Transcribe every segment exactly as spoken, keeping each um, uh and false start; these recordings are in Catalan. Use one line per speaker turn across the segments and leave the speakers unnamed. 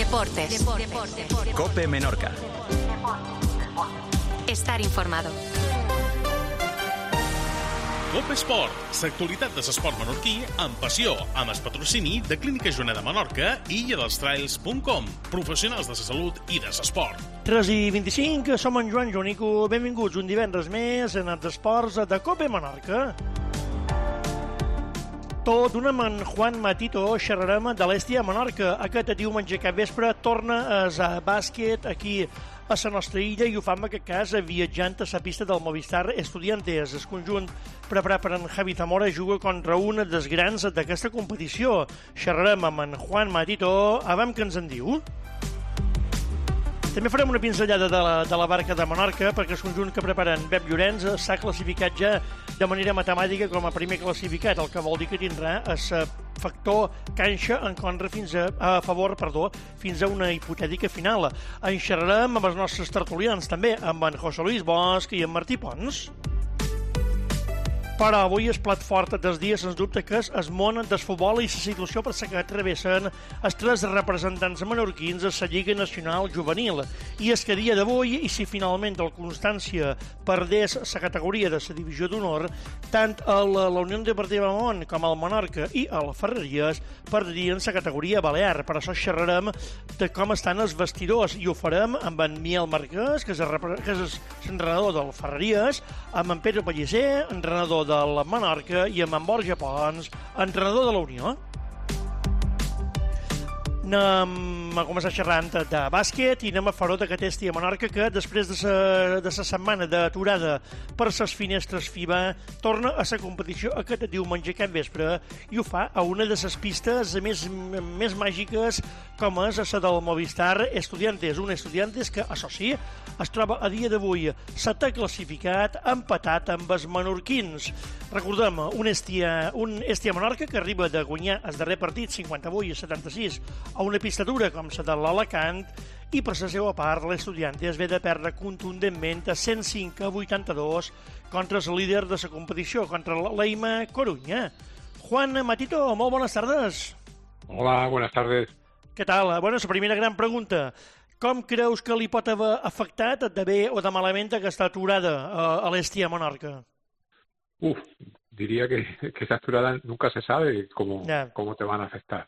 Deportes. Deportes.
COPE Menorca.
Estar informado.
COPE Esport, l'actualitat de l'esport menorquí amb passió, amb el patrocini de Clínica Joaneda Menorca i illa dels trails punt com, professionals de la salut i de l'esport.
tres i vint-i-cinc, som en Joan Jonico, benvinguts un divendres més en els esports de COPE Menorca. Tot d'una amb en Juan Matito xerrarem de l'Hèstia Menorca. Aquest diumenge cap vespre torna a bàsquet aquí a la nostra illa i ho fa en aquest cas viatjant a la pista del Movistar Estudiantes. El conjunt preparat per en Javi Zamora juga contra un dels grans d'aquesta competició. Xerrarem amb en Juan Matito. Abans que ens en diu? També farem una pinzellada de la, de la barca de Menorca perquè el conjunt que preparen Pep Llorenç s'ha classificat ja de manera matemàtica com a primer classificat, el que vol dir que tindrà el factor canxa en contra fins a, a favor perdó, fins a una hipotètica final. En xerrarem amb els nostres tertulians també, amb en José Luis Bosch i en Martí Pons. Però avui el plat fort dels dies, sens dubte, que és el món del futbol i la situació per la que travessen els tres representants menorquins a la Lliga Nacional Juvenil. I és que a dia d'avui, i si finalment el Constància perdés la categoria de la divisió d'honor, tant la Unió Deportiva Mont com el Menorca i el Ferreries perdrien la categoria balear. Per això xerrarem de com estan els vestidors i ho farem amb en Miel Marquès, que és l'entrenador del Ferreries, amb en Pedro Pellicer, entrenador del Menorca, i amb en Borja Pons, entrenador de la Unió. Anem a començar xerrant de bàsquet i anem a fer-ho d'aquest Hèstia Menorca que després de la de sa setmana d'aturada per les finestres FIBA torna a la competició aquest diumenge cap vespre i ho fa a una de les pistes més, més màgiques com és la del Movistar Estudiantes. Un Estudiantes que, això sí, es troba a dia d'avui setè classificat, empatat amb els menorquins. Recordem, un Hèstia, un Hèstia Menorca que arriba de guanyar el darrer partit cinquanta-vuit a setanta-sis a una pista dura com la de l'Alacant i per la seva part l'Estudiantes ve de perdre contundentment a cent cinc a vuitanta-dos contra el líder de la competició, contra l'Eima Corunya. Juan Matito, molt bones tardes.
Hola, buenas tardes.
Què tal? Bueno, la primera gran pregunta. Com creus que li pot haver afectat de bé o de malament aquesta aturada a, a l'Hèstia Menorca?
Uf, diría que, que esa aturada nunca se sabe cómo,
yeah.
cómo te van a afectar.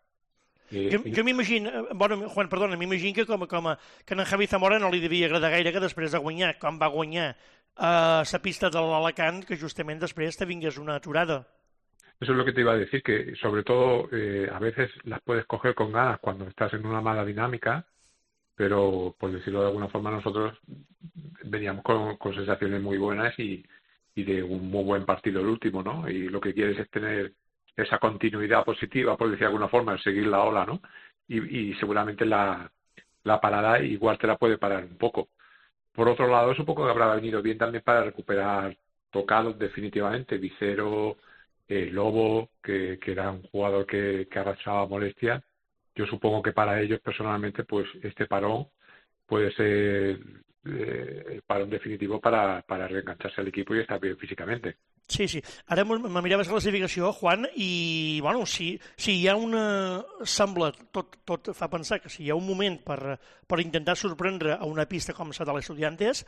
Eh, jo jo m'imagino, bueno, Juan, perdona, m'imagino que com, com a, que a en Javi Zamora no li devia agradar gaire que després de guanyar, com va guanyar a la pista de l'Alacant, que justament després te vingués una aturada.
Eso es lo que te iba a decir, que sobre todo eh, a veces las puedes coger con ganas cuando estás en una mala dinámica, pero por decirlo de alguna forma nosotros veníamos con, con sensaciones muy buenas y, y de un muy buen partido el último, ¿no? Y lo que quieres es tener esa continuidad positiva, por decir de alguna forma, seguir la ola, ¿no? Y, y seguramente la, la parada igual te la puede parar un poco. Por otro lado, supongo que habrá venido bien también para recuperar tocados definitivamente. Vicero, eh, Lobo, que, que era un jugador que, que arrastraba molestias. Yo supongo que para ellos personalmente, pues este parón puede ser eh, el parón definitivo para, para reengancharse al equipo y estar bien físicamente.
Sí, sí. Ara me miraves la classificació, Juan, i, bueno, si, si hi ha una... Sembla, tot, tot fa pensar que si hi ha un moment per, per intentar sorprendre a una pista com la de l'Estudiantes,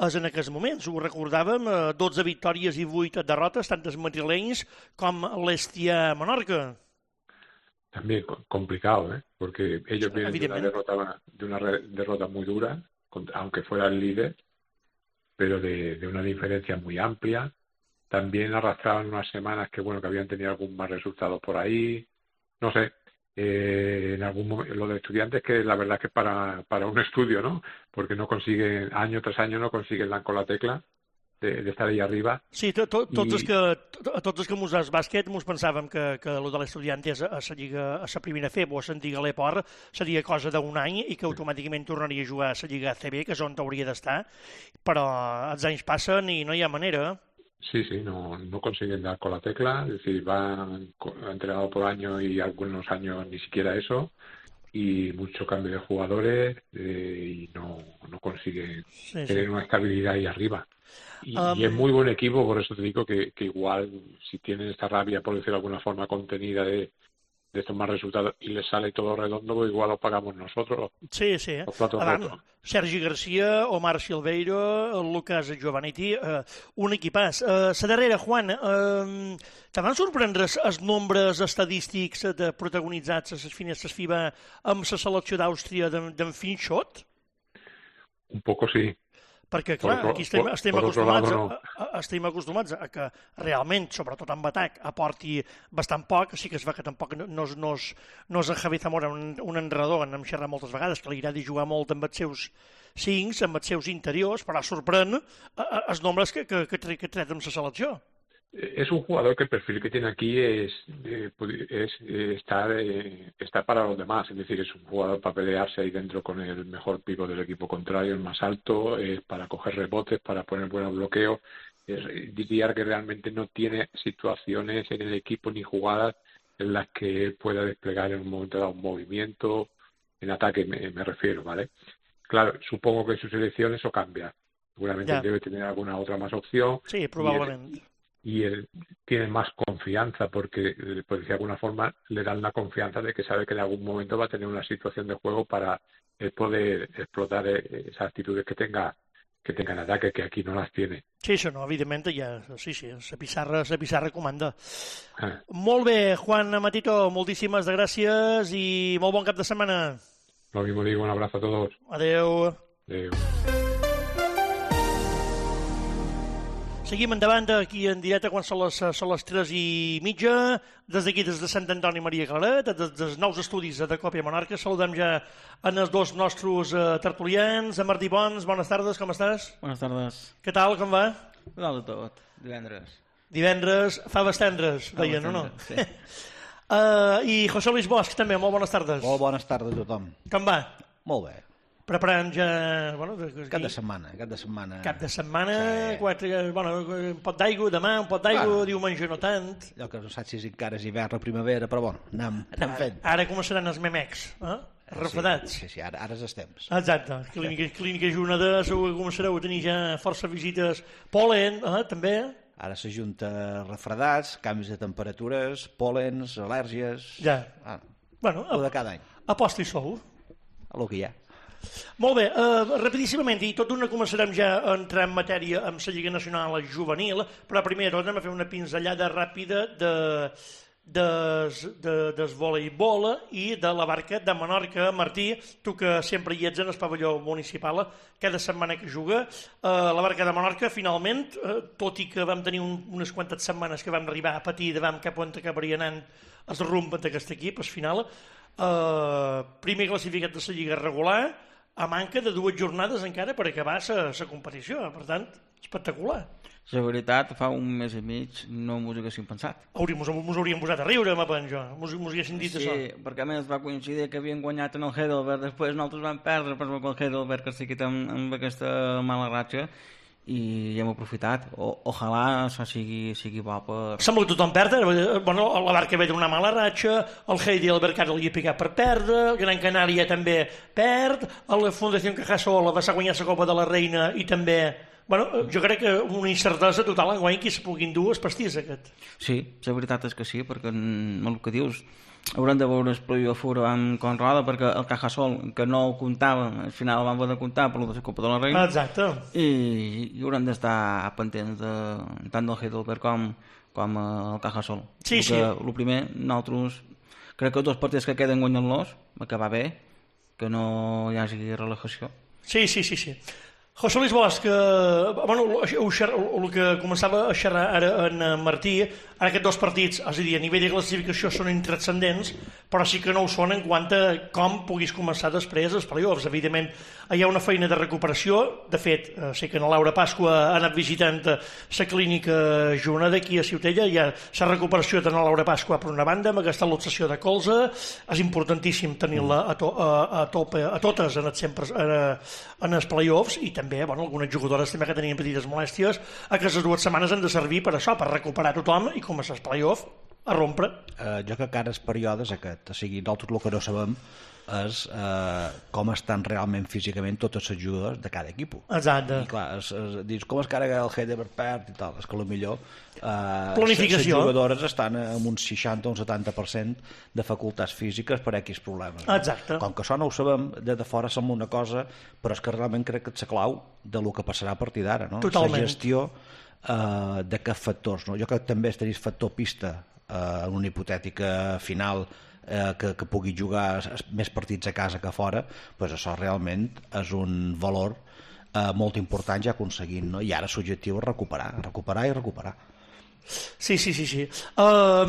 és en aquests moments. Ho recordàvem, dotze victòries i vuit derrotes, tant els madrilenys com l'Hèstia Menorca.
También complicado, ¿eh? Porque ellos vienen de una derrota, de una derrota muy dura, aunque fuera el líder, pero de, de una diferencia muy amplia. También arrastraban unas semanas que bueno que habían tenido algún mal resultado por ahí, no sé, eh, en algún momento, lo de Estudiantes que la verdad es que para, para un estudio, ¿no? Porque no consiguen, año tras año no consiguen dar con la tecla de, de estar ahí arriba.
Sí, to, to, tots, I... els que, to, tots els que mos des bàsquet mos pensàvem que, que el de l'Estudiantes a la Lliga, a la primera F E B o a l'antiga l'Eport seria cosa d'un any i que automàticament tornaria a jugar a la Lliga A C B, que és on hauria d'estar, però els anys passen i no hi ha manera.
Sí, sí, no, no consiguen dar con la tecla, es decir, van entrenado por año y algunos años ni siquiera eso, y mucho cambio de jugadores eh, y no, no consiguen sí, tener sí. una estabilidad ahí arriba. Y, um... y es muy buen equipo, por eso te digo que, que igual si tienen esta rabia, por decirlo de alguna forma, contenida de, de estos más resultados y les sale todo redondo, pues igual lo pagamos nosotros.
Sí, sí.
Los platos rotos.
Sergi Garcia, Omar Silveiro, Lucas Giovanetti, eh, un equipàs. Eh, la darrera, Juan, eh, te van sorprendre els nombres estadístics de protagonitzats a les finestres FIBA amb la selecció d'Àustria d'en Finchot?
Un poco sí.
Perquè, clar,
por,
aquí estem,
por,
estem,
por
acostumats
lado, no.
a, a, estem acostumats a que realment, sobretot en atac, aporti bastant poc. Sí que es va que tampoc no, no, no, és, no és en Javi Zamora un, un enredor, en hem xerrat moltes vegades, que li agrada jugar molt amb els seus cincs, amb els seus interiors, però sorprèn els nombres que, que, que, que tret amb la selecció.
Es un jugador que el perfil que tiene aquí es, eh, es eh, estar, eh, estar para los demás, es decir, es un jugador para pelearse ahí dentro con el mejor pivo del equipo contrario, el más alto, eh, para coger rebotes, para poner buenos bloqueos. Eh, diría que realmente no tiene situaciones en el equipo ni jugadas en las que él pueda desplegar en un momento dado un movimiento, en ataque me, me refiero, ¿vale? Claro, supongo que en su selección eso cambia. Seguramente
ya.
Debe tener alguna otra más opción.
Sí, probablemente.
Y él tiene más confianza porque, pues de alguna forma, le dan la confianza de que sabe que en algún momento va a tener una situación de juego para él poder explotar esas actitudes que tenga que tenga en ataque, que aquí no las tiene.
Sí, això no, evidentment, ja, sí, sí, la pissarra, la pissarra comanda.
Ah.
Molt bé, Juan Matito, moltíssimes gràcies i molt bon cap de setmana.
Lo mismo digo, un abrazo a todos.
Adeu.
Adeu.
Seguim endavant aquí en directe quan són les, són les tres i mitja. Des d'aquí, des de Sant Antoni Maria Claret, des dels nous estudis de Còpia Monarca, saludem ja en els dos nostres uh, tertulians. En Martí Pons, bones tardes, com estàs?
Bones tardes.
Què tal, com va?
Dalt de tot, divendres.
Divendres, faves tendres, deien, o no?
Sí.
uh, I José Luis Bosch, també, molt bones tardes.
Molt bones tardes a tothom.
Com va?
Molt bé.
Preparant ja... Bueno,
cap de setmana, cap de setmana.
Cap de setmana,
sí.
quatre, bueno, un pot d'aigua demà, un pot d'aigua, bueno, diumenge no tant.
Allò que no saps si encara és hivern o primavera, però bueno, anem, anem fent.
Ara començaran els memecs, eh? Refredats.
Sí, sí, sí, ara, ara és els temps.
Exacte. Clínica, clínica Juneda, segur que començareu a tenir ja força visites. Pol·len, eh? també.
Ara s'ajunta refredats, canvis de temperatures, pòlens, al·lèrgies...
Ja.
Ah,
bueno,
a, de cada any.
Aposta i sou.
A lo que hi ha.
Molt bé, uh, rapidíssimament, i tot d'una començarem ja a entrar en matèria amb la Lliga Nacional Juvenil, però primer anem a fer una pinzellada ràpida de, des, de, des voleibol i de la barca de Menorca. Martí, tu que sempre hi ets en el pavelló municipal, cada setmana que juga, uh, la barca de Menorca finalment, uh, tot i que vam tenir un, unes quantes setmanes que vam arribar a patir de vam cap on acabaria anant el rumb d'aquest equip, al final, uh, primer classificat de la Lliga regular, a manca de dues jornades encara per acabar la competició. Per tant, espectacular.
La veritat, fa un mes i mig no m'ho haguéssim pensat.
Hauríem, ens hauríem posat a riure, me penjo. Mos haguessin dit
sí,
això.
Sí, perquè a més va coincidir que havien guanyat en el Heidelberg, després nosaltres vam perdre, però el Heidelberg que sí que amb, amb aquesta mala ratxa, i hem aprofitat. O, ojalà això sigui, sigui bo per...
Sembla que tothom perd. Bueno, la Barca ve d'una mala ratxa, el Heidelberg ara li ha picat per perdre, el Gran Canària també perd, la Fundació Cajasol va guanyar la Copa de la Reina i també... Bueno, jo crec que una incertesa total enguany que es puguin dur els pastís aquest.
Sí, la veritat és que sí, perquè el que dius, haurem de veure el playoff amb Conrada, perquè el Cajasol, que no ho comptava, al final vam haver de comptar per la Copa de la Reina.
Exacte.
I, i haurem d'estar pendents de, tant del Heidelberg com, com el Cajasol.
Sí,
sí.
El
primer, nosaltres, crec que els dos partits que queden guanyant-los, acabar bé, que no hi hagi relajació.
Sí, sí, sí, sí. José Luis Bosch, que, bueno, el que començava a xerrar ara en Martí, ara aquests dos partits, és a dir, a nivell de classificació són intranscendents, però sí que no ho són en quant a com puguis començar després els playoffs. Evidentment, hi ha una feina de recuperació. De fet, sé que la Laura Pasqua ha anat visitant la clínica Juneda d'aquí a Ciutella. Hi ha la recuperació de la Laura Pasqua per una banda, amb aquesta luxació de colze. És importantíssim tenir-la a, to, a, a, tope, a totes en els, sempre, en els playoffs, i també Bé, bueno, algunes jugadores també que tenien petites molèsties, aquestes dues setmanes han de servir per això, per recuperar tothom i començar els play-off a rompre.
Eh, jo crec que ara és períodes aquest, o sigui, nosaltres el que no sabem és eh, com estan realment físicament totes les jugadors de cada equip.
Exacte.
I clar, es, es, dius, com es carrega el Heidelberg perd i tal, és que potser eh,
planificació.
Les jugadores estan amb un seixanta o un setanta per cent de facultats físiques per X problemes. No?
Exacte.
Com que això no ho sabem, de, de fora sembla una cosa, però és que realment crec que és la clau de lo que passarà a partir d'ara, no?
Totalment.
La gestió eh, d'aquests factors. No? Jo crec que també estaria factor pista eh, en una hipotètica final eh, que, que pugui jugar més partits a casa que a fora, doncs això realment és un valor eh, molt important ja aconseguint, no? I ara l'objectiu és recuperar, recuperar i recuperar.
Sí, sí, sí, sí. Uh,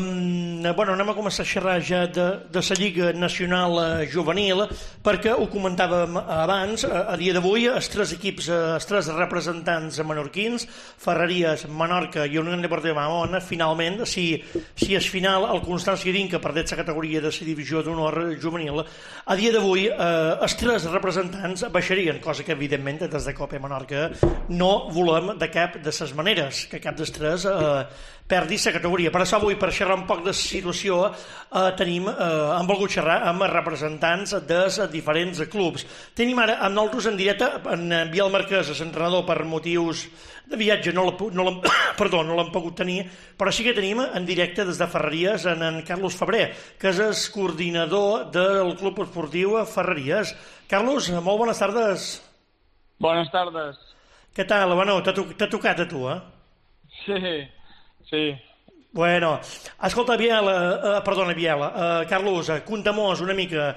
bueno, anem a començar a xerrar ja de, de la Lliga Nacional uh, Juvenil, perquè ho comentàvem abans, a, a dia d'avui els tres equips, uh, els tres representants menorquins, Ferreries, Menorca i Unió Deportiva Mamona, finalment, si, si és final el Constància Dinca perdés la categoria de la divisió d'honor juvenil, a dia d'avui uh, els tres representants baixarien, cosa que evidentment des de Copa Menorca no volem de cap de les maneres, que cap dels tres uh, perdi la categoria. Per això avui, per xerrar un poc de la situació, eh, tenim, eh, hem volgut xerrar amb representants dels diferents clubs. Tenim ara amb nosaltres en directe en Biel Marquès, l'entrenador, per motius de viatge no l'hem no perdó, no l'hem pogut tenir, però sí que tenim en directe des de Ferreries en, en Carlos Febrer, que és el coordinador del Club Esportiu Ferreries. Carlos, molt bones tardes.
Bones tardes.
Què tal? Bueno, t'ha to tocat a tu, eh?
Sí. Sí.
Bueno, escolta, Biel, eh, perdona, Biel, eh, Carlos, eh, conta-mos una mica,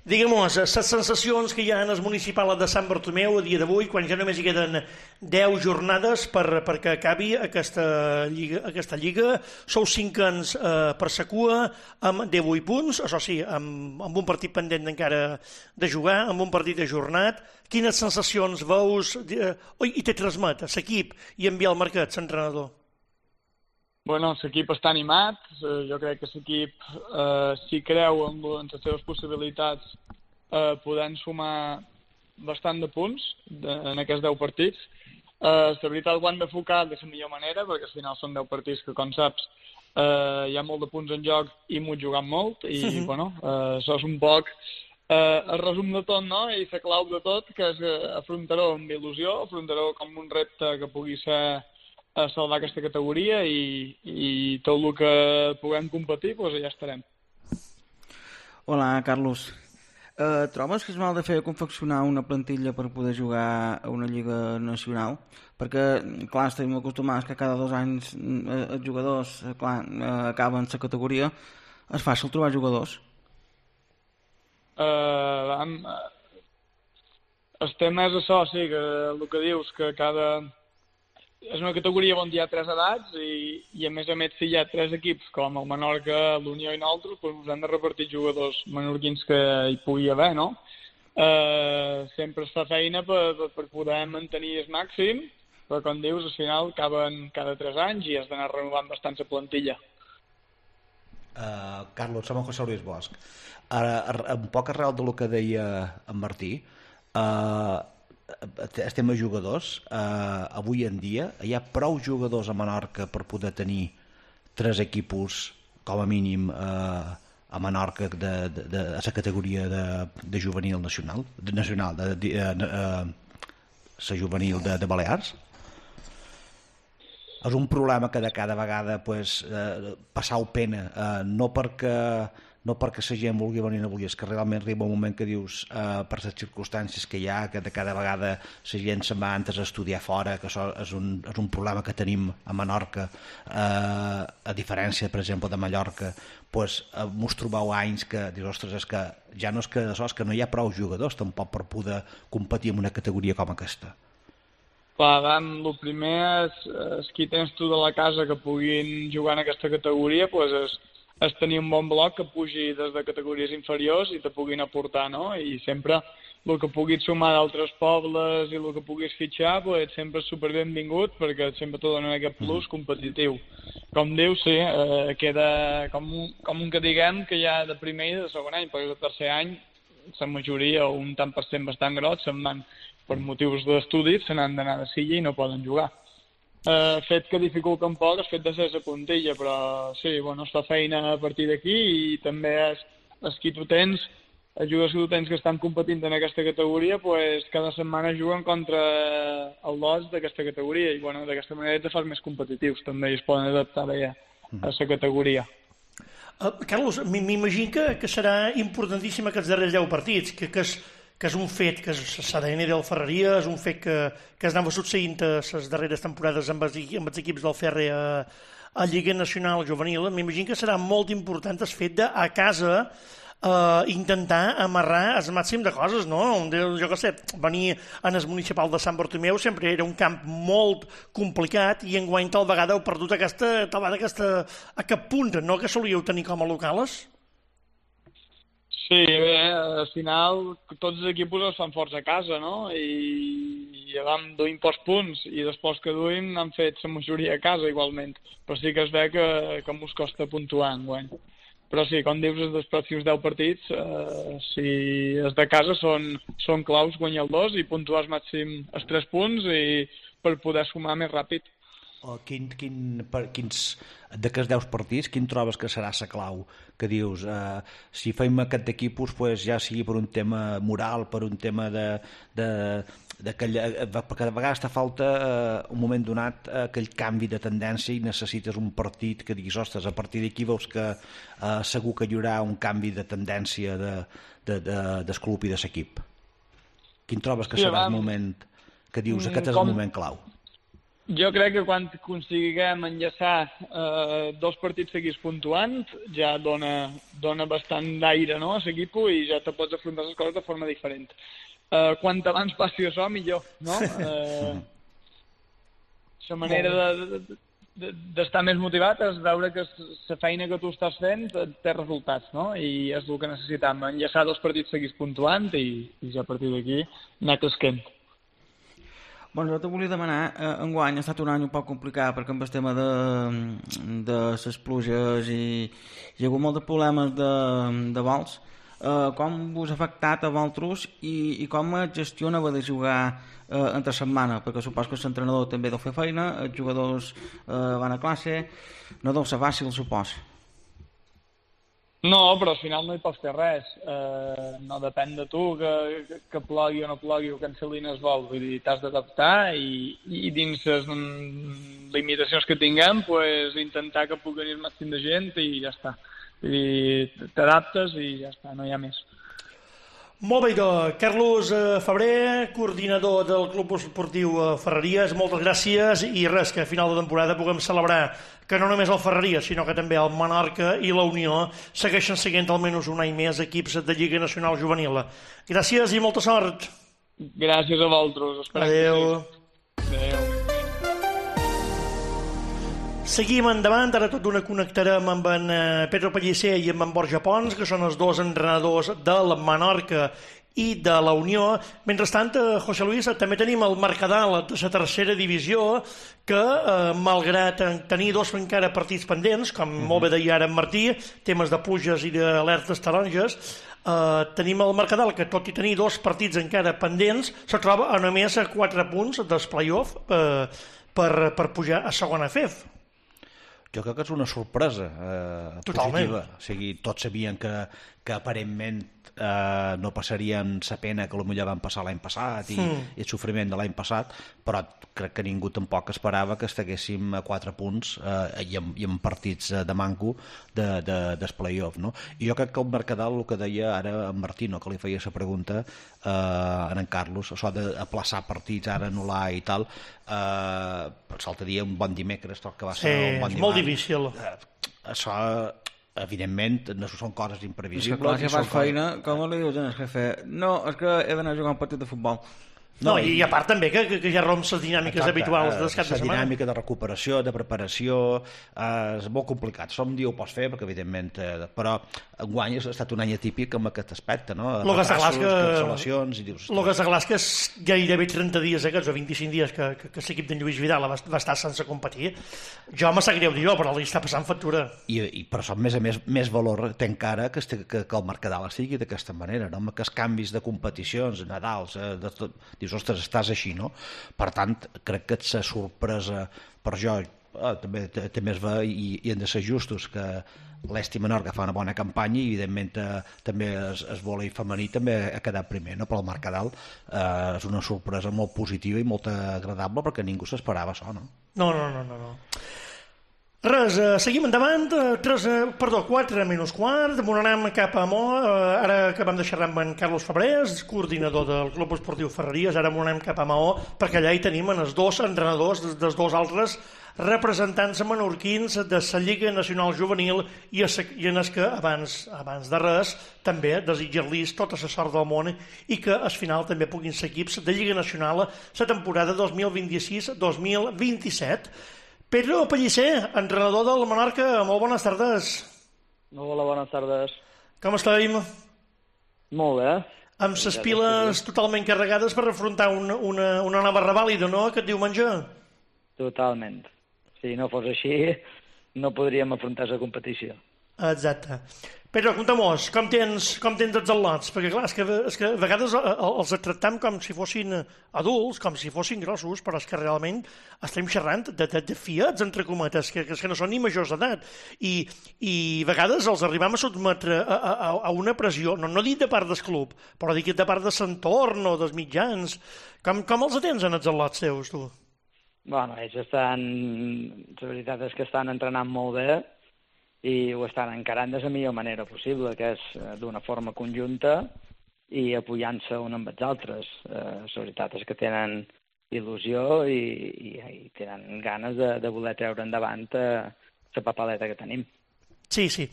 digue'm-mos, les sensacions que hi ha en el municipal de Sant Bartomeu a dia d'avui, quan ja només hi queden deu jornades per, perquè acabi aquesta lliga, aquesta lliga. Sou cinquens eh, per sa cua, amb divuit punts, això sí, amb, amb un partit pendent encara de jugar, amb un partit ajornat. Quines sensacions veus eh, oi, i te transmet a l'equip i en Biel Marquès, l'entrenador?
Bueno, l'equip està animat, jo crec que l'equip, eh, si creu en, en les seves possibilitats, eh, podem sumar bastant de punts de, en aquests deu partits. Eh, la veritat ho han d'enfocar de la millor manera, perquè al final són deu partits que, com saps, eh, hi ha molt de punts en joc i m'ho jugant molt, i sí. bueno, eh, això és un poc eh, el resum de tot, no? I la clau de tot, que és afrontar-ho amb il·lusió, afrontar-ho com un repte que pugui ser a salvar aquesta categoria i, i tot el que puguem competir, doncs ja estarem.
Hola, Carlos. Eh, trobes que és mal de fer confeccionar una plantilla per poder jugar a una lliga nacional? Perquè, clar, estem acostumats que cada dos anys eh, els jugadors eh, clar, eh, acaben la categoria. És fàcil trobar jugadors?
Eh, amb, el tema és això, sí, que el que dius, que cada... És una categoria on hi ha tres edats i, i a més a més si hi ha tres equips com el Menorca, l'Unió i nosaltres, doncs hem de repartir jugadors menorquins que hi pugui haver, no? Eh, sempre es fa feina per, per poder mantenir el màxim, però com dius, al final acaben cada tres anys i has d'anar renovant bastant la plantilla.
Uh, Carlos, som en José Luis Bosch. Ara, un poc arrel del que deia en Martí, uh, el tema jugadors, eh, avui en dia hi ha prou jugadors a Menorca per poder tenir tres equipos com a mínim eh, a Menorca de, de, de, a la categoria de, de juvenil nacional, de nacional, de, de, de, de, la juvenil de, de Balears? És un problema que de cada vegada pues, eh, passau pena, eh, no perquè no perquè la gent vulgui venir o no vulgui, és que realment arriba un moment que dius, eh, per les circumstàncies que hi ha, que de cada vegada la gent se'n va antes a estudiar fora, que això és un, és un problema que tenim a Menorca, eh, a diferència, per exemple, de Mallorca, pues, eh, mos trobeu anys que dius, ostres, és que ja no és que, això, és que no hi ha prou jugadors tampoc per poder competir en una categoria com aquesta.
Clar, Dan, el primer és, és qui tens tu de la casa que puguin jugar en aquesta categoria, doncs és és tenir un bon bloc que pugi des de categories inferiors i te puguin aportar, no? I sempre el que puguis sumar d'altres pobles i el que puguis fitxar, pues, sempre és superbenvingut perquè sempre t'ho donen aquest plus competitiu. Com dius, sí, eh, queda com un, com un que diguem que hi ha de primer i de segon any, perquè el tercer any la majoria o un tant per cent bastant gros se'n van per motius d'estudis, se n'han d'anar de silla i no poden jugar. eh, fet que dificulta un poc el fet de ser la puntilla, però sí, bueno, es fa feina a partir d'aquí i també és, és qui tu tens, els jugadors que tu tens que estan competint en aquesta categoria, pues, cada setmana juguen contra el dos d'aquesta categoria i bueno, d'aquesta manera te fas més competitius també i es poden adaptar bé a la categoria.
Uh, Carlos, m'imagino que, que serà importantíssim aquests darrers deu partits, que, que, és, que és un fet que s'ha d'A N del Ferreria, és un fet que, que es anava succeint a les darreres temporades amb els, amb els equips del Ferre a, a Lliga Nacional Juvenil. M'imagino que serà molt important el fet de a casa Uh, intentar amarrar el màxim de coses, no? Jo què sé, venir en el municipal de Sant Bartomeu sempre era un camp molt complicat i enguany tal vegada heu perdut aquesta, tal vegada aquesta, aquest punt, no?, que solíeu tenir com a locals?
Sí, bé, al final tots els equips es fan forts a casa, no? I, i vam duim pocs punts i després que duim han fet la majoria a casa igualment, però sí que es ve que, que mos costa puntuar enguany. Però sí, com dius, els pròxims deu partits, eh, si els de casa són, són claus guanyar el dos i puntuar al màxim els tres punts i per poder sumar més ràpid.
O quin, quin, per, quins d'aquests deu partits, quin trobes que serà la clau? Que dius, eh, si fem aquest d'equipos, pues, ja sigui per un tema moral, per un tema de... de d'aquella, perquè de vegades te falta eh, un moment donat eh, aquell canvi de tendència i necessites un partit que diguis, ostres, a partir d'aquí veus que eh, segur que hi haurà un canvi de tendència de, de, de, del club i de l'equip. Quin trobes que sí, serà el moment que dius, aquest és com... el moment clau?
Jo crec que quan consiguen enllaçar eh, dos partits seguits puntuant ja dona, dona bastant d'aire, no?, a l'equip i ja te pots afrontar les coses de forma diferent. Uh, quant abans passi això, millor, no? Uh, la manera de, de, d'estar més motivat és veure que la feina que tu estàs fent té resultats, no? I és el que necessitam, enllaçar dos partits seguits puntuant i, i ja a partir d'aquí anar cresquent.
Bueno, jo te volia demanar, eh, enguany ha estat un any un poc complicat perquè amb el tema de, de les pluges i hi ha hagut molt de problemes de, de vols. Uh, com vos ha afectat a vosaltres i, i com gestionava de jugar uh, entre setmana, perquè supos que l'entrenador també deu fer feina, els jugadors uh, van a classe, no deu ser fàcil, supos.
No, però al final no hi pots fer res, uh, no depèn de tu que, que, que plogui o no plogui o cancel·lin el vol, vull dir, t'has d'adaptar i, i dins les mm, limitacions que tinguem, pues, intentar que pugui venir el màxim de gent i ja està. I t'adaptes i ja està, no hi ha més.
Molt bé, doncs, Carlos Febrer, coordinador del Club Esportiu Ferreries, moltes gràcies i res, que a final de temporada puguem celebrar que no només el Ferreries, sinó que també el Menorca i la Unió segueixen seguint almenys un any més equips de Lliga Nacional Juvenil. Gràcies i molta sort.
Gràcies a vosaltres.
Adéu.
Adéu.
Seguim endavant, ara tot d'una connectarem amb en Pedro Pellicer i amb en Borja Pons, que són els dos entrenadors del Menorca i de la Unió. Mentrestant, José Luis, també tenim el Mercadal de la tercera divisió, que eh, malgrat tenir dos encara partits pendents, com uh-huh. molt bé deia ara en Martí, temes de pluges i d'alertes taronges, eh, tenim el Mercadal, que tot i tenir dos partits encara pendents, se troba a només a quatre punts dels play-off eh, per, per pujar a segona F E F.
Jo crec que és una sorpresa eh, positiva. O sigui, tots sabien que, que aparentment eh, no passarien la pena que potser van passar l'any passat i, mm. i el sofriment de l'any passat, però crec que ningú tampoc esperava que estiguéssim a quatre punts eh, i, amb, i amb partits de manco de, de, del play-off, no? I jo crec que el Mercadal, el que deia ara en Martino, que li feia la pregunta eh, a en Carlos, això d'aplaçar partits, ara anul·lar i tal, eh, l'altre dia un bon dimecres, tot que va ser
sí,
un bon
és molt difícil.
Eh, això evidentment no són coses imprevisibles.
És que clar, si fas feina, com li dius al jefe? No, és que he d'anar a jugar un partit de futbol.
No, i, i a part també que, que, que ja romps les dinàmiques exacte, habituals de cap de setmana.
La dinàmica de recuperació, de preparació, eh, és molt complicat. Som dia ho pots fer, perquè evidentment... Eh, però enguany ha estat un any atípic amb aquest aspecte, no?
Retrasos,
cancel·lacions... I dius,
el que està clar és que és gairebé trenta dies, aquests, o vint-i-cinc dies que, que, que l'equip d'en Lluís Vidal va, va estar sense competir. Jo me sap greu dir jo, però li està passant factura.
I, i per això, a més a més, més valor té encara que, que, que el Mercadal estigui d'aquesta manera, no? Amb aquests canvis de competicions, Nadals, eh, de tot... Dius, dius, ostres, estàs així, no? Per tant, crec que ets sorpresa per jo, ah, també, també es va, i, i hem de ser justos, que l'Esti Menorca fa una bona campanya i evidentment eh, també es, es vòlei femení també ha quedat primer, no? Però el Mercadal eh, és una sorpresa molt positiva i molt agradable perquè ningú s'esperava això, no?
No, no, no, no, no. Res, eh, seguim endavant, eh, tres, eh, perdó, quatre menys quart, anem cap a Mo, eh, ara acabem de xerrar amb en Carlos Fabrés, coordinador del Club Esportiu Ferreries, ara anem cap a Maó, perquè allà hi tenim els dos entrenadors dels dos altres representants menorquins de la Lliga Nacional Juvenil i, i en els que abans, abans de res també desitjar-los tota la sort del món i que al final també puguin ser equips de Lliga Nacional la temporada dos mil vint-i-sis dos mil vint-i-set. Pedro Pellicer, entrenador del Menorca, molt bones tardes.
Hola, bones tardes.
Com estem?
Molt bé.
Amb les piles totalment carregades per afrontar una, una, una nova revàlida, no?, aquest diumenge?
Totalment. Si no fos així, no podríem afrontar la competició.
Exacte. Pedro, conta'm-nos, com tens, com tens els al·lots? Perquè, clar, és que, és que a vegades els tractem com si fossin adults, com si fossin grossos, però és que realment estem xerrant de, de, de fiats, entre cometes, que, que, que no són ni majors d'edat. I, I a vegades els arribem a sotmetre a, a, a una pressió, no, no dic de part del club, però dic de part de l'entorn o dels mitjans. Com, com els atens en els al·lots teus, tu?
Bueno, ells estan... La veritat és que estan entrenant molt bé i ho estan encarant de la millor manera possible, que és d'una forma conjunta i apoyant-se un amb els altres. Eh, la veritat és que tenen il·lusió i, i, i tenen ganes de, de voler treure endavant eh, la papaleta que tenim.
Sí, sí.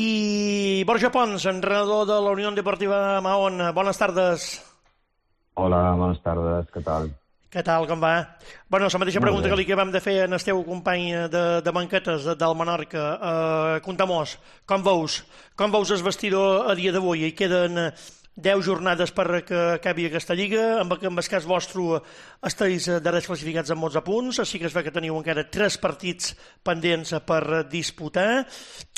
I Borja Pons, entrenador de la Unió Deportiva Mahón, bones tardes.
Hola, bones tardes, què tal?
Què tal, com va? Bueno, la mateixa pregunta que li acabem de fer en el teu company de, de banquetes del Menorca. Uh, Conta-mos, com veus? Com veus el vestidor a dia d'avui? Hi queden deu jornades per que acabi aquesta lliga. En, en el cas vostre esteu darrers classificats amb onze punts, així que es ve que teniu encara tres partits pendents per disputar.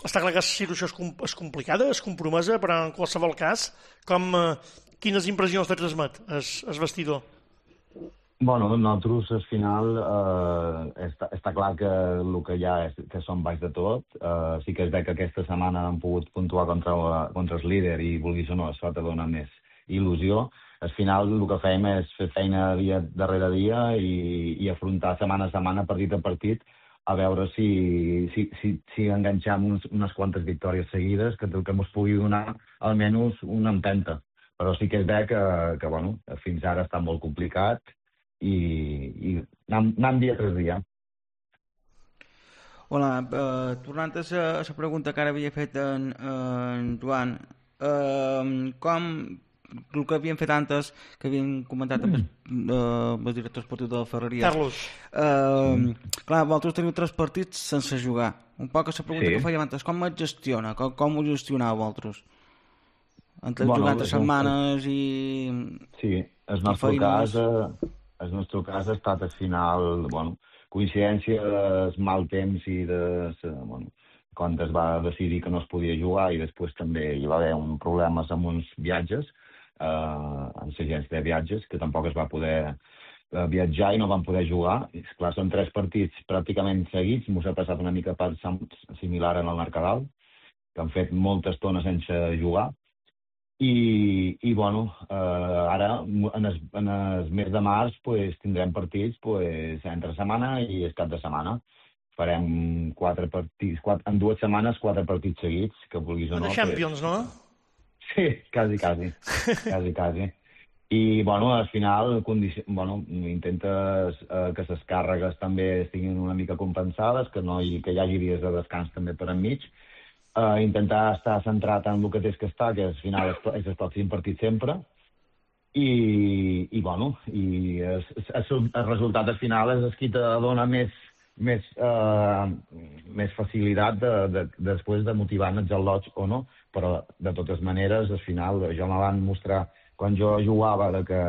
Està clar que la situació és, com, és complicada, és compromesa, però en qualsevol cas, com, uh, quines impressions te transmet el vestidor?
Bueno, nosaltres al final eh, està, està clar que el que hi ha és que som baix de tot. Eh, sí que es ve que aquesta setmana han pogut puntuar contra, contra el líder i vulguis o no, això te dona més il·lusió. Al final el que fem és fer feina dia darrere dia i, i afrontar setmana a setmana, partit a partit, a veure si, si, si, si enganxam uns, unes quantes victòries seguides que, que ens pugui donar almenys una empenta. Però sí que es ve que, que bueno, fins ara està molt complicat i, i anant, anant dia tras dia.
Hola, uh, tornant a la pregunta que ara havia fet en, en Joan, uh, com el que havien fet antes, que havien comentat amb el, uh, el director esportiu de la Ferreria.
Carlos.
Uh, clar, vosaltres teniu tres partits sense jugar. Un poc a la pregunta sí. que fèiem antes, com es gestiona? Com, com ho gestioneu vosaltres? Entre bueno, jugar entre setmanes i...
Sí, el nostre cas... Uh... El nostre cas ha estat al final, bueno, coincidència del mal temps i de, bueno, quan es va decidir que no es podia jugar i després també hi va haver un problemes amb uns viatges, eh, amb l'agència de viatges, que tampoc es va poder eh, viatjar i no van poder jugar. I, esclar, són tres partits pràcticament seguits, m'ho ha passat una mica per similar en el Mercadal, que han fet molta estona sense jugar. I, i bueno, eh, ara en el, en el mes de març pues, tindrem partits pues, entre setmana i el cap de setmana. Farem quatre partits, quatre, en dues setmanes quatre partits seguits, que vulguis o no.
De Champions,
pues...
no?
Sí, quasi, quasi. quasi, quasi. I, bueno, al final condici... bueno, intentes eh, que les càrregues també estiguin una mica compensades, que, no hi, que hi hagi dies de descans també per enmig. Uh, intentar estar centrat en el que tens que estar, que al final és, és el pròxim partit sempre, i, i bueno, i es, es, el resultat al final és el que te dona més, més, uh, més facilitat de, de, de, després de motivar els al·lots o no, però de totes maneres, al final, jo me van mostrar, quan jo jugava, de que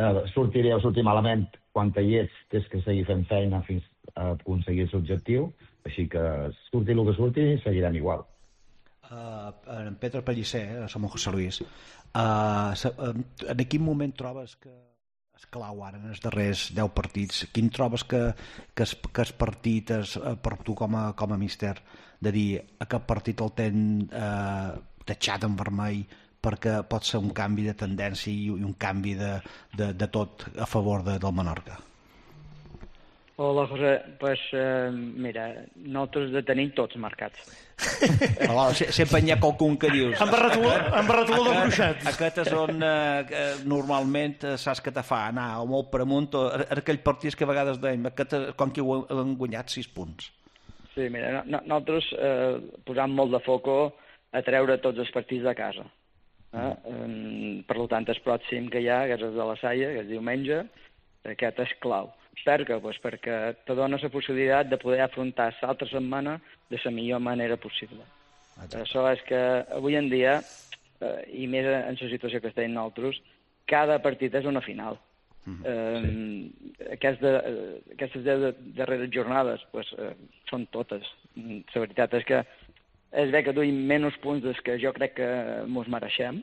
uh, sortiré o sortir malament, quan hi ets, tens que seguir fent feina fins a aconseguir l'objectiu. Així que surti el que surti, seguirem igual.
Uh, en Pedro Pellicer, eh, som José Luis, uh, en quin moment trobes que És clau ara en els darrers deu partits. Quin trobes que, que, es, que es partit és, per tu com a, com a míster, de dir aquest partit el ten eh, tatxat en vermell perquè pot ser un canvi de tendència i un canvi de, de, de tot a favor de, del Menorca?
Hola, José. Pues, eh, mira, nosaltres de tenim tots marcats.
Hola, sempre hi ha qualcun que dius...
Amb barratoló de bruixat.
Aquest és on eh, normalment saps que te fa anar o molt per amunt, o aquell partits que a vegades deim, aquest, com que ho han guanyat sis punts.
Sí, mira, no, no, nosaltres eh, posam molt de foco a treure tots els partits de casa. Eh? Mm. Per tant, el pròxim que hi ha, que és el de la Salle, que és diumenge, aquest és clau. Per què? Pues perquè te dona la possibilitat de poder afrontar l'altra setmana de la millor manera possible. Exacte. Això és que avui en dia, eh, i més en la situació que estem nosaltres, cada partit és una final. Mm-hmm. eh, sí. Aquesta, aquestes deu darreres jornades pues, eh, són totes. La veritat és que és bé que duim menys punts dels que jo crec que mos mereixem,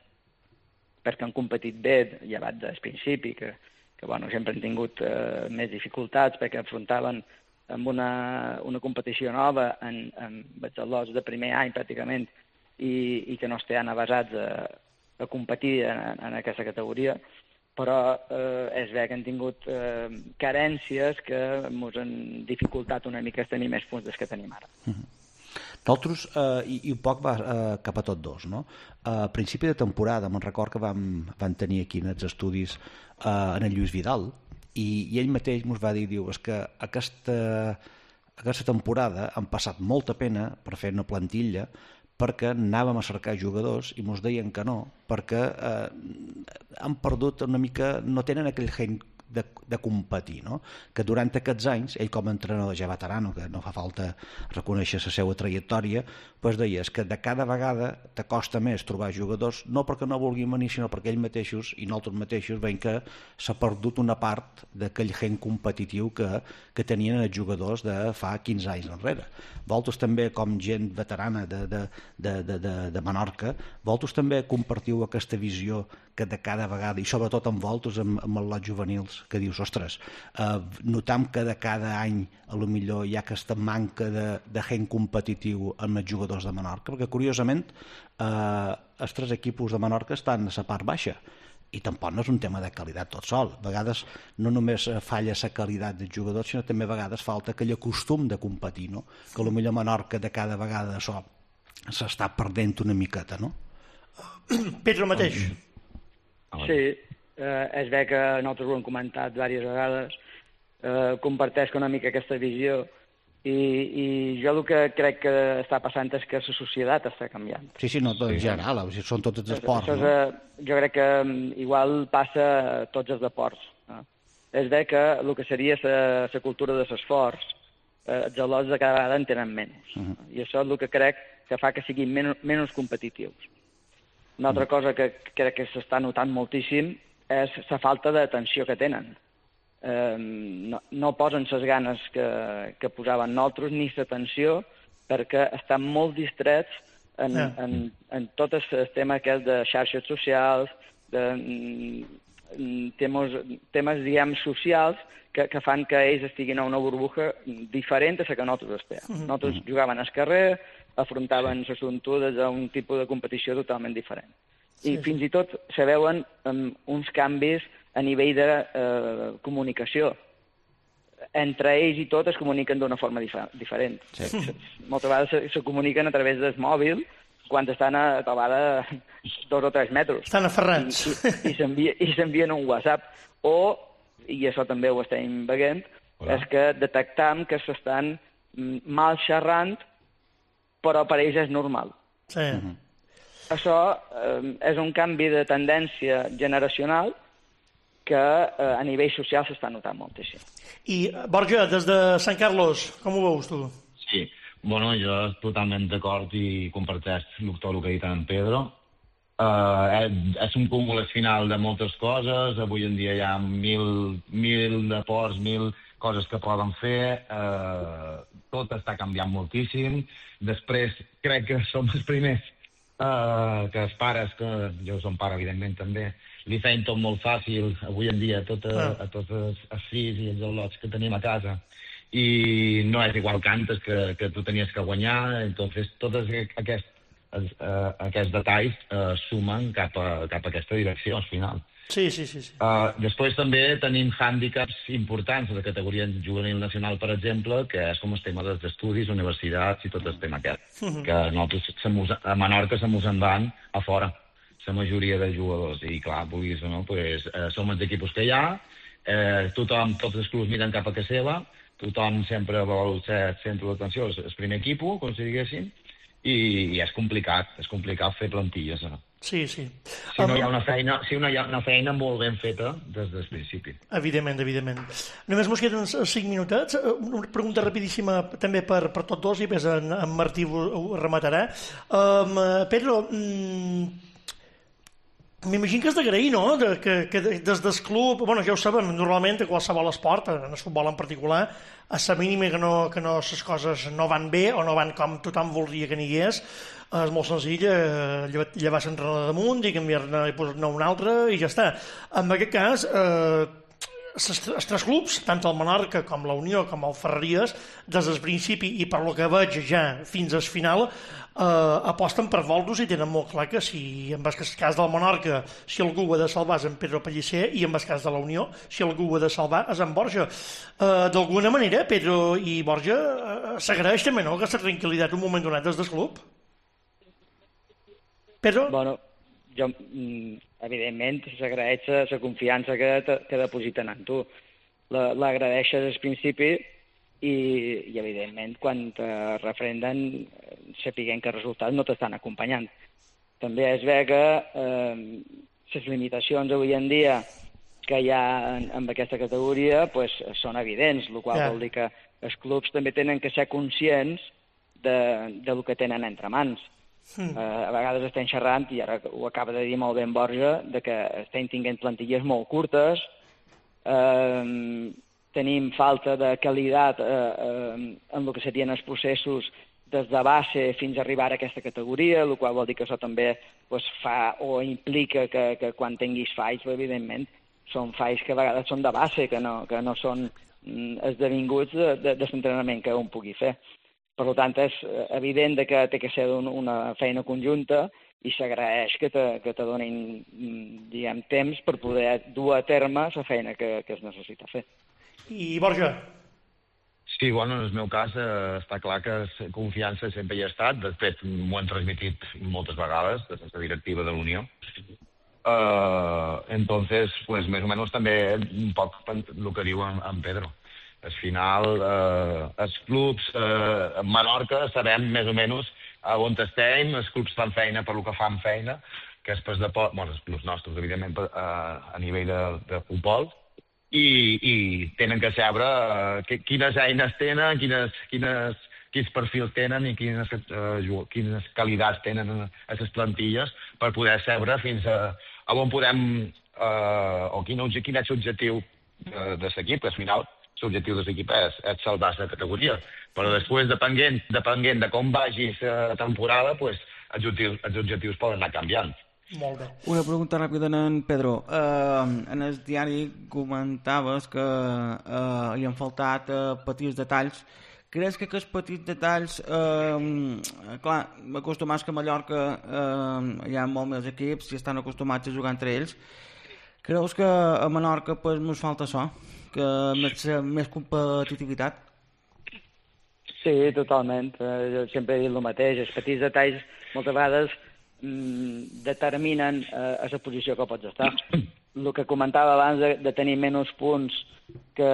perquè han competit bé, llevat del principi, que que bueno, sempre han tingut eh, més dificultats perquè afrontaven amb una, una competició nova en, en batxalots de primer any pràcticament i, i que no estan avasats a, a competir en, en aquesta categoria, però eh, és bé que han tingut eh, carències que ens han dificultat una mica tenir més punts dels que tenim ara.
Mm-hmm. Nosaltres, eh, i, i un poc va eh, cap a tots dos, no? A principi de temporada, me'n record que vam, vam tenir aquí en els estudis eh, en el Lluís Vidal, i, i ell mateix ens va dir, diu, és que aquesta, aquesta temporada han passat molta pena per fer una plantilla perquè anàvem a cercar jugadors i ens deien que no, perquè eh, han perdut una mica, no tenen aquell gen de, de competir, no? Que durant aquests anys, ell com a entrenador ja veterano, que no fa falta reconèixer la seva trajectòria, doncs deia que de cada vegada t'acosta més trobar jugadors, no perquè no vulguin venir, sinó perquè ells mateixos i nosaltres mateixos veiem que s'ha perdut una part d'aquell gen competitiu que, que tenien els jugadors de fa quinze anys enrere. Vosaltres també, com gent veterana de, de, de, de, de, de Menorca, vosaltres també compartiu aquesta visió que de cada vegada, i sobretot amb vosaltres, amb, amb els lots juvenils, que dius, ostres, eh, notam que de cada any a lo millor hi ha aquesta manca de, de gent competitiu amb els jugadors de Menorca, perquè curiosament eh, els tres equipos de Menorca estan a la part baixa, i tampoc no és un tema de qualitat tot sol. A vegades no només falla la qualitat dels jugadors, sinó també a vegades falta aquell costum de competir, no? Que a lo millor Menorca de cada vegada això s'està perdent una miqueta, no?
Pedro mateix.
Sí, eh, és bé que nosaltres ho hem comentat diverses vegades, eh, comparteix una mica aquesta visió i, i jo el que crec que està passant és que la societat està canviant.
Sí, sí, no, en general, són tots els esports.
Això és, no? Jo crec que igual passa a tots els esports. No? És bé que el que seria la cultura de l'esforç, eh, els al·lots de cada vegada en tenen menys. Uh-huh. I això és el que crec que fa que siguin menys, menys competitius. Una altra cosa que crec que s'està notant moltíssim és la falta d'atenció que tenen. Eh, no, no posen les ganes que, que posaven nosaltres ni l'atenció perquè estan molt distrets en, yeah. en, en tot el tema aquest de xarxes socials, de temes, temes diguem, socials que, que fan que ells estiguin a una burbuja diferent a la que nosaltres estem. Mm-hmm. Nosaltres jugaven al carrer, afrontaven les assumptudes a un tipus de competició totalment diferent. I sí, fins i tot se veuen um, uns canvis a nivell de eh, comunicació. Entre ells i tot es comuniquen d'una forma dif- diferent. Sí. Moltes vegades se, se comuniquen a través del mòbil quan estan a trobada dos o tres metres.
Estan aferrats.
I, i, i, i s'envien un WhatsApp. O, i això també ho estem veient, Hola. És que detectam que s'estan mal xerrant, però per ells és normal.
Sí. Uh-huh.
Això eh, és un canvi de tendència generacional que eh, a nivell social s'està notant moltíssim.
I, Borja, des de Sant Carlos, com ho veus tu?
Sí, bueno, jo totalment d'acord i comparteix tot el que ha dit en Pedro. Uh, és, és un cúmul final de moltes coses. Avui en dia hi ha mil, mil deports, mil coses que poden fer. Uh, tot està canviant moltíssim. Després crec que som els primers Uh, que els pares, que jo som pare, evidentment, també, li feien tot molt fàcil, avui en dia, tot a, a tots els, els fills i els al·lots que tenim a casa. I no és igual que antes, que, que tu tenies que guanyar, entonces tots aquests, uh, aquests detalls uh, sumen cap a, cap a aquesta direcció, al final.
Sí, sí, sí. sí.
Uh, després també tenim hàndicaps importants de categoria juvenil nacional, per exemple, que és com el tema dels estudis, universitats i tot el tema aquest. Uh -huh. Que nosaltres a Menorca se mos en van a fora, la majoria de jugadors. I clar, vulguis o no, pues, eh, som els equipos que hi ha, eh, tothom, tots els clubs miren cap a casa seva, tothom sempre vol ser el centre d'atenció, el primer equip, com si diguéssim, i, i és complicat, és complicat fer plantilles, no?
Sí, sí.
Si no hi ha una feina, si no hi ha una feina molt ben feta des del principi.
Evidentment, evidentment. Només mos queden cinc minutets. Una pregunta rapidíssima també per, per tots dos i després en, en Martí ho, ho rematarà. Um, Pedro, mm, m'imagino que és d'agrair, no?, de, que, que des del club, bueno, ja ho saben, normalment a qualsevol esport, en el futbol en particular, a la mínima que no, que no les coses no van bé o no van com tothom voldria que n'hi és molt senzill, eh, llevar l'entrenador damunt i canviar-ne i posar-ne un altre i ja està. En aquest cas, eh, els tres clubs, tant el Menorca com la Unió com el Ferreries, des del principi i per lo que veig ja fins al final, eh, aposten per Voldos i tenen molt clar que si en el cas del Menorca, si algú ho ha de salvar és en Pedro Pellicer, i en el cas de la Unió, si algú ho ha de salvar és en Borja. Eh, D'alguna manera, Pedro i Borja eh, s'agraeix també, no?, aquesta tranquil·litat un moment donat des del club? Pedro?
Bueno, jo, evidentment, s'agraeix la confiança que, que depositen en tu. L'agradeixes al principi i, i, evidentment, quan te refrenden, sapiguem que els resultats no t'estan acompanyant. També es ve que eh, les limitacions avui en dia que hi ha en, en aquesta categoria pues, són evidents, el qual yeah. vol dir que els clubs també tenen que ser conscients de, de lo que tenen entre mans. Mm. Uh, a vegades estem xerrant, i ara ho acaba de dir molt ben Borja, de que estem tinguent plantilles molt curtes, uh, tenim falta de qualitat uh, uh, en el que serien els processos des de base fins a arribar a aquesta categoria, el qual vol dir que això també pues, fa o implica que, que quan tinguis falls, evidentment, són falls que a vegades són de base, que no, que no són mm, esdevinguts de, de, de l'entrenament que un pugui fer. Per tant, és evident que té que ser una feina conjunta i s'agraeix que te, que te donin, diguem, temps per poder dur a terme la feina que, que es necessita fer.
I Borja?
Sí, bueno, en el meu cas eh, està clar que confiança sempre hi ha estat, de fet m'ho han transmitit moltes vegades des de la directiva de l'Unió. Uh, entonces, pues, més o menys també un poc el que diu en, en Pedro. Al final, eh, els clubs eh, a Menorca sabem més o menys on estem, els clubs fan feina per lo que fan feina, que és pas de pot, bueno, els clubs nostres, evidentment, a, a nivell de, de futbol, i, i tenen que saber eh, quines eines tenen, quines, quines, quins perfils tenen i quines, eh, quines qualitats tenen a les plantilles per poder saber fins a, a on podem, eh, o quin, quin és l'objectiu de, de l'equip, que al final l'objectiu de l'equip és, és salvar la categoria. Però després, depenent, depenent de com vagi la temporada, pues, els, objectius, els objectius poden anar canviant.
Molt bé.
Una pregunta ràpida en Pedro. Uh, en el diari comentaves que uh, hi han faltat uh, petits detalls. Creus que aquests petits detalls, uh, clar, acostumats que a Mallorca uh, hi ha molts més equips i estan acostumats a jugar entre ells, creus que a Menorca pues, ens falta això? Que més, més competitivitat?
Sí, totalment. Eh, jo sempre he dit el mateix. Els petits detalls moltes vegades mm, determinen eh, a la posició que pots estar. El que comentava abans de, de tenir menys punts que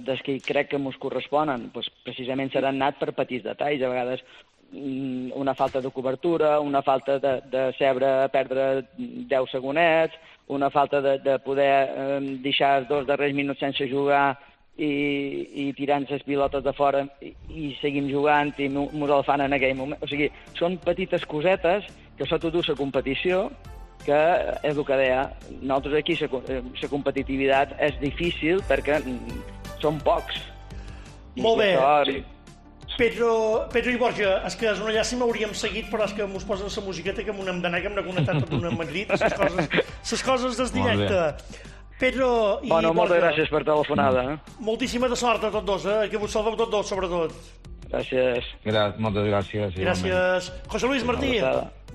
des que crec que ens corresponen, doncs precisament seran anat per petits detalls. A vegades mm, una falta de cobertura, una falta de, de saber perdre deu segonets, una falta de, de poder eh, deixar els dos darrers minuts sense jugar i, i tirant les pilotes de fora i, i seguim jugant i ens el fan en aquell moment. O sigui, són petites cosetes que això t'ho du la competició, que és el que deia. Nosaltres aquí la competitivitat és difícil perquè són pocs.
Molt bé.
Això...
Pedro, Pedro i Borja, és que és una llàstima, hauríem seguit, però és que mos posen la musiqueta que m'ho hem d'anar, que hem de connectar tot una Madrid, les coses, les coses del directe. Pedro i
bueno,
Borja...
moltes gràcies per telefonada. Eh?
Moltíssima de sort a tots dos, eh? Que vos salveu tots dos, sobretot.
Gràcies.
Gràcies, moltes gràcies.
Gràcies. José Luis Martí.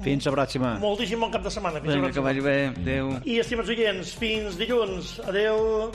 Fins la pròxima.
Moltíssim bon cap de setmana.
Vinga, que vagi bé. Adéu.
I, estimats oients, fins dilluns. Adéu.